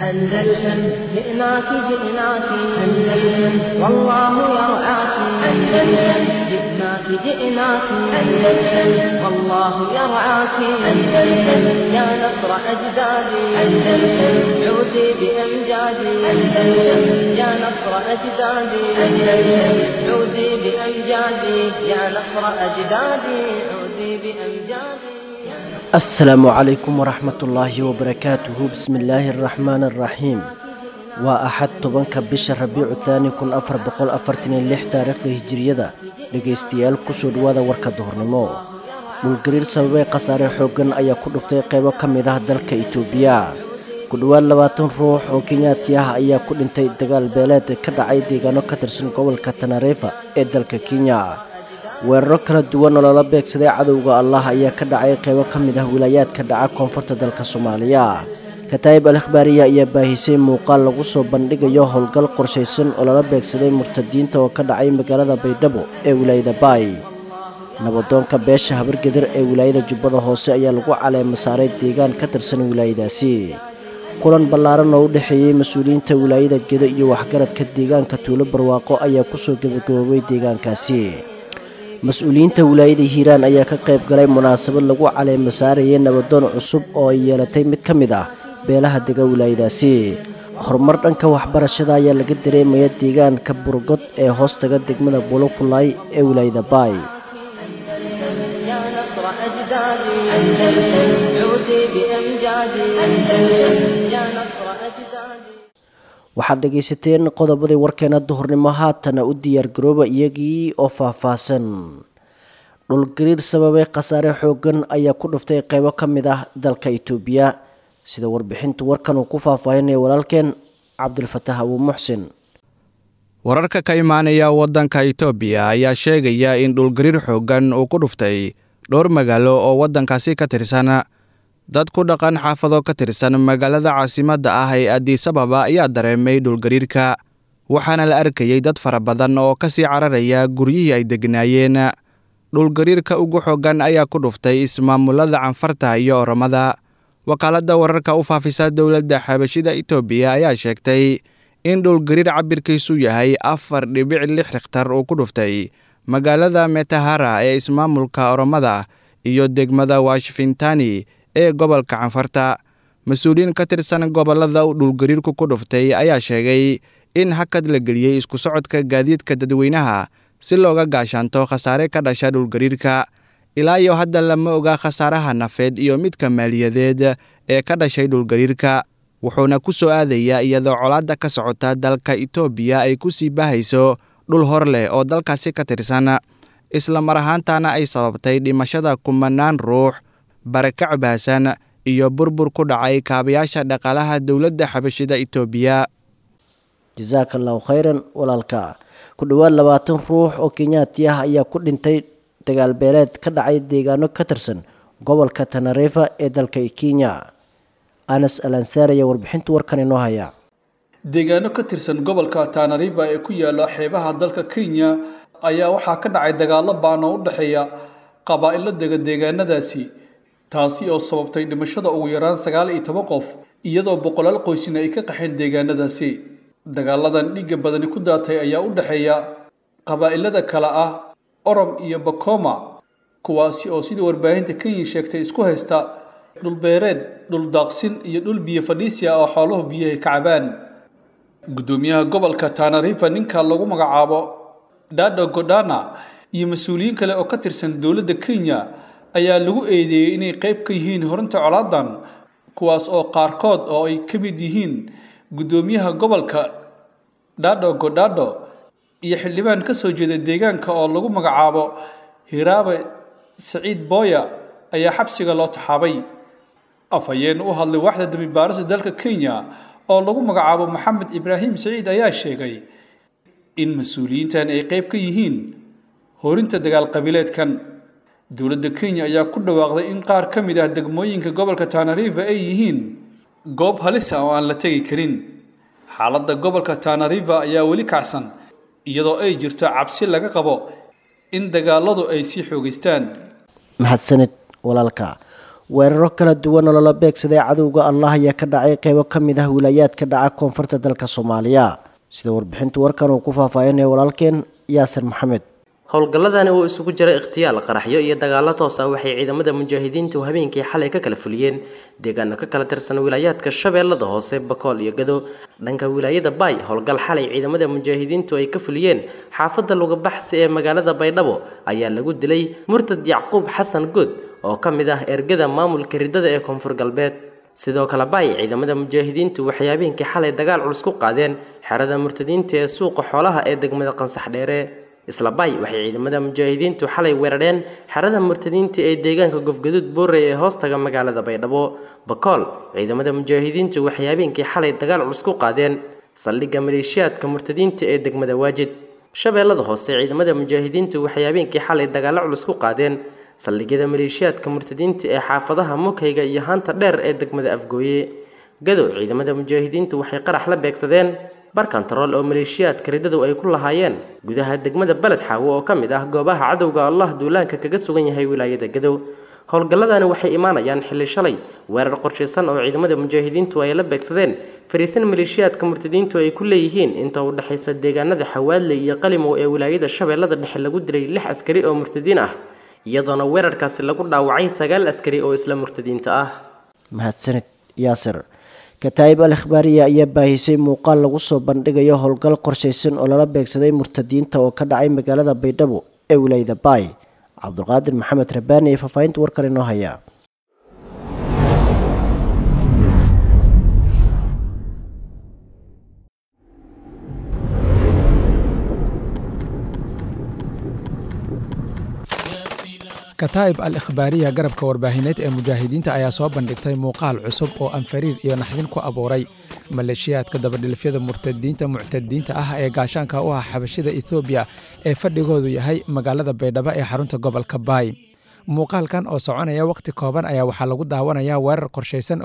أندلسن جئناك جئناك أندلسن والله يرعاك. أندلسن جئناك جئناك أندلسن والله يرعاك. أندلسن يا نصر أجدادي. أندلسن عودي بأمجادي. أندلسن يا نصر أجدادي. أندلسن عودي بأمجادي يا نصر أجدادي. عودي بأمجادي. Asalaamu calaykum waraxmatullaahi wabarakaatuhu. Bismillaahi araxmaani araxiim. Waa Axad, 10-ka bisha Rabiicu Thaani 1446 taariikhda Hijiriyada. Dhegaystayaal, kusoo dhawaada warka duhurnimo. Dhulgariir sababay khasaare xooggan ayaa ku dhuftay qeybo ka mid ah dalka Itoobiya. Ku dhowaad 20 ruux oo Kenyaati ah ayaa ku dhintay dagaal beeleed ka dhacay deegaano ka tirsan gobolka Tanarefa ee dalka Kenya. Weeraro kala duwan oo lala beegsaday cadowga Allah ayaa ka dhacay qeybo ka mid ah wilaayaadka dhaca koonfurta dalka Soomaaliya. Kataa'ib Al Akhbaariya ayaa baahisay muuqaal lagu soo bandhigayo howlgal qorshaysan oo lala beegsaday murtadiinta oo ka dhacay magaalada Baydhabo ee wilaayada Baay. Nabadoonka beesha Habargedir ee wilaayada Jubbada Hoose ayaa lagu caleema saaray deegaan ka tirsan wilaayadaasi. Kulan ballaaran oo u dhexeeyey mas-uuliyiinta wilaayada Gedo iyo waxgaradka deegaanka Tuulo Barwaaqo ayaa kusoo gabagaboobay deegaankaasi. Mas-uuliyiinta wilaayada Hiiraan ayaa ka qayb galay munaasabad lagu caleema saarayay nabadoon cusub oo ay yeelatay mid ka mid ah beelaha dega wilaayadaasi. Horumar dhanka waxbarashada ayaa laga dareemaya deegaanka Burgod ee hoostaga degmada Bulofulay ee wilaayada Baay. يا نصر أجدادي. أندلسن عودي بأمجادي. أندلسن يا نصر أجدادي. Waxaad dhegaysateen qodobadii warkeena duhurnimo. Haatana u diyaargarooba iyagii oo faahfaahsan. Dhulgariir sababay khasaare xooggan ayaa ku dhuftay qeybo ka mid ah dalka Itoobiya, sida warbixintu warkan uu ku faahfaahinaya walaalkeen Cabdulfatax Abuu Muxsin. Wararka ka imaanaya waddanka Itoobiya ayaa sheegaya in dhulgariir xooggan uu ku dhuftay dhowr magaalo oo waddankaasi ka tirsan. Dad ku dhaqan xaafado ka tirsan magaalada caasimadda ah ee Addis Ababa ayaa dareemay dhulgariirka, waxaana la arkayey dad fara badan oo kasii cararaya guryihii ay degnaayeen. Dhulgariirka ugu xooggan ayaa ku dhuftay ismaamulada Canfarta iyo Oromada. Wakaaladda wararka u faafisa dowladda Xabashida Itoobiya ayaa sheegtay in dhulgariir cabirkiisu yahay 4.6 rikhtar uu ku dhuftay magaalada Metahara ee ismaamulka Oromada iyo degmada Washingtoni ee gobolka Canfarta. Mas-uuliyiin ka tirsan gobollada uu dhulgariirku ku dhuftay ayaa sheegay in hakad la geliyey isku socodka gaadiidka dadweynaha si looga gaashaanto khasaare ka dhasha dhulgariirka. Ilaa iyo hadda lama oga khasaaraha nafeed iyo midka maaliyadeed ee ka dhashay dhulgariirka, wuxuuna ku soo aadayaa iyadoo colaadda ka socota dalka Itoobiya ay ku sii baahayso dhul hor leh oo dalkaasi ka tirsan, isla mar ahaantaana ay sababtay dhimashada kumanaan ruux, barakac baahsan iyo burbur ku dhacay kaabayaasha dhaqaalaha dowladda Xabashida Itoobiya. Jasaaka allahu khayran, walaalka. Ku dhowaad 20 ruux oo Kenyaati ah ayaa ku dhintay dagaal beeleed ka dhacay deegaano ka tirsan gobolka Tanarefa ee dalka Kenya. Anas Al Ansaar ayaa warbixinta warkan inoo haya. Deegaano ka tirsan gobolka Tana River ee ku yaala xeebaha dalka Kenya ayaa waxaa ka dhacay dagaallo ba'an oo u dhexeeya qabaa'ilo dega deegaanadaasi, taasi oo sababtay dhimashada ugu yaraan 19 qof, iyadoo boqolaal qoysina ay ka qaxeen deegaanadaasi. Dagaaladan dhiigga badani ku daatay ayaa u dhexeeya qabaa'ilada kale ah Orom iyo Bakoma, kuwaasi oo sidii warbaahinta Kenya sheegtay isku haysta dhulbeereed, dhul daaqsin iyo dhul biyo fadhiisi ah oo xooluhu biyaha ka cabaan. Gudoomiyaha gobolka Tana River, ninka lagu magacaabo Dado Godana, iyo mas-uuliyiin kale oo ka tirsan dowladda Kenya ayaa lagu eedeeyey inay qayb ka yihiin horinta colaadan, kuwaas oo qaarkood oo ay ka mid yihiin gudoomiyaha gobolka Dado Godado iyo xildhibaan ka soo jeeda deegaanka oo lagu magacaabo Hiraabe Saciid Boya ayaa xabsiga loo taxaabay. Afhayeen u hadlay waaxda dembi baarista dalka Kenya oo lagu magacaabo Maxamed Ibraahim Saciid ayaa sheegay in mas-uuliyiintan ay qayb ka yihiin horinta dagaal qabiileedkan. Dowladda Kenya ayaa ku dhawaaqday in qaar ka mid ah degmooyinka gobolka Tana River ay yihiin goob halis ah oo aan la tegi karin. Xaaladda gobolka Tana River ayaa weli kacsan, iyadoo ay jirto cabsi laga qabo in dagaaladu ay sii xoogeystaan. Mahadsanid, walaalka. Weeraro kala duwan oo lala beegsaday cadowga Allah ayaa ka dhacay qeybo ka mid ah wilaayaadka dhaca koonfurta dalka Soomaaliya. Sida warbixinta warkan uu ku faahfaahinaya walaalkeen Yaasir Maxamed. Howlgalladani oo isugu jira ikhtiyaal, qaraxyo iyo dagaallo toos ah waxay ciidamada mujaahidiintu habeenkii xalay ka kala fuliyeen deegaano ka kala tirsan wilaayaadka Shabeellada Hoose, Bakool iyo Gado. Dhanka wilaayada Baay, howlgal xalay ciidamada mujaahidiintu ay ka fuliyeen xaafadda Lugabaxsi ee magaalada Baydhabo ayaa lagu dilay murtad Yacquub Xasan Good oo ka mid ah ergada maamulka ridada ee Koonfur Galbeed. Sidoo kale Baay, ciidamada mujaahidiintu waxay habeenkii xalay dagaal culus ku qaadeen xerada murtadiinta ee suuqa xoolaha ee degmada Qansax Dheere. Isla Baay, waxay ciidamada mujaahidiintu xalay weerareen xerada murtadiinta ee deegaanka Gofgaduud Boorey ee hoostaga magaalada Baydhabo. Bakool, ciidamada mujaahidiintu waxay habeenkii xalay dagaal culus ku qaadeen saldhigga maleeshiyaadka murtadiinta ee degmada Waajid. Shabeellada Hoose, ciidamada mujaahidiintu waxay habeenkii xalay dagaalo culus ku qaadeen saldhigyada maleeshiyaadka murtadiinta ee xaafadaha Mukayga iyo Haanta Dheer ee degmada Afgooye. Gadow, ciidamada mujaahidiintu waxay qarax la beegsadeen bar kantarool oo maleeshiyaadka ridadu ay ku lahaayeen gudaha degmada Baled Xaawo oo ka mid ah goobaha cadowga Allah duulaanka kaga sugan yahay wilaayada Gadow. Howlgalladani waxay imaanayaan xilli shalay weerar qorshaysan oo ciidamada mujaahidiintu ay la beegsadeen fariisin maleeshiyaadka murtadiintu ay ku leeyihiin inta u dhexaysa deegaanada Xawaadle iyo Qalimow ee wilaayada Shabeellada Dhexe lagu dilay 6 askari oo murtadiin ah, iyadoona weerarkaasi lagu dhaawacay 9 askari oo isla murtadiinta ah. Mahadsanid Yaasir. Kataa'ib Al Ikhbaariya ayaa baahisay muuqaal lagu soo bandhigayo howlgal qorshaysan oo lala beegsaday murtadiinta oo ka dhacay magaalada Baydhabo ee wilaayada Baay. Cabdulqaadir Maxamed Rabaani ee faahfaahinta warkan inoo haya. Kataa'ib Al Ikhbaariya, garabka warbaahineed ee mujaahidiinta, ayaa soo bandhigtay muuqaal cusub oo anfariir iyo naxdin ku abuuray maleeshiyaadka dabadhilifyada murtadiinta muctadiinta ah ee gaashaanka u ah xabashida Ethoobiya ee fadhigoodu yahay magaalada Baydhabo ee xarunta gobolka Baay. Muuqaalkan oo soconaya wakhti kooban ayaa waxaa lagu daawanayaa weerar qorshaysan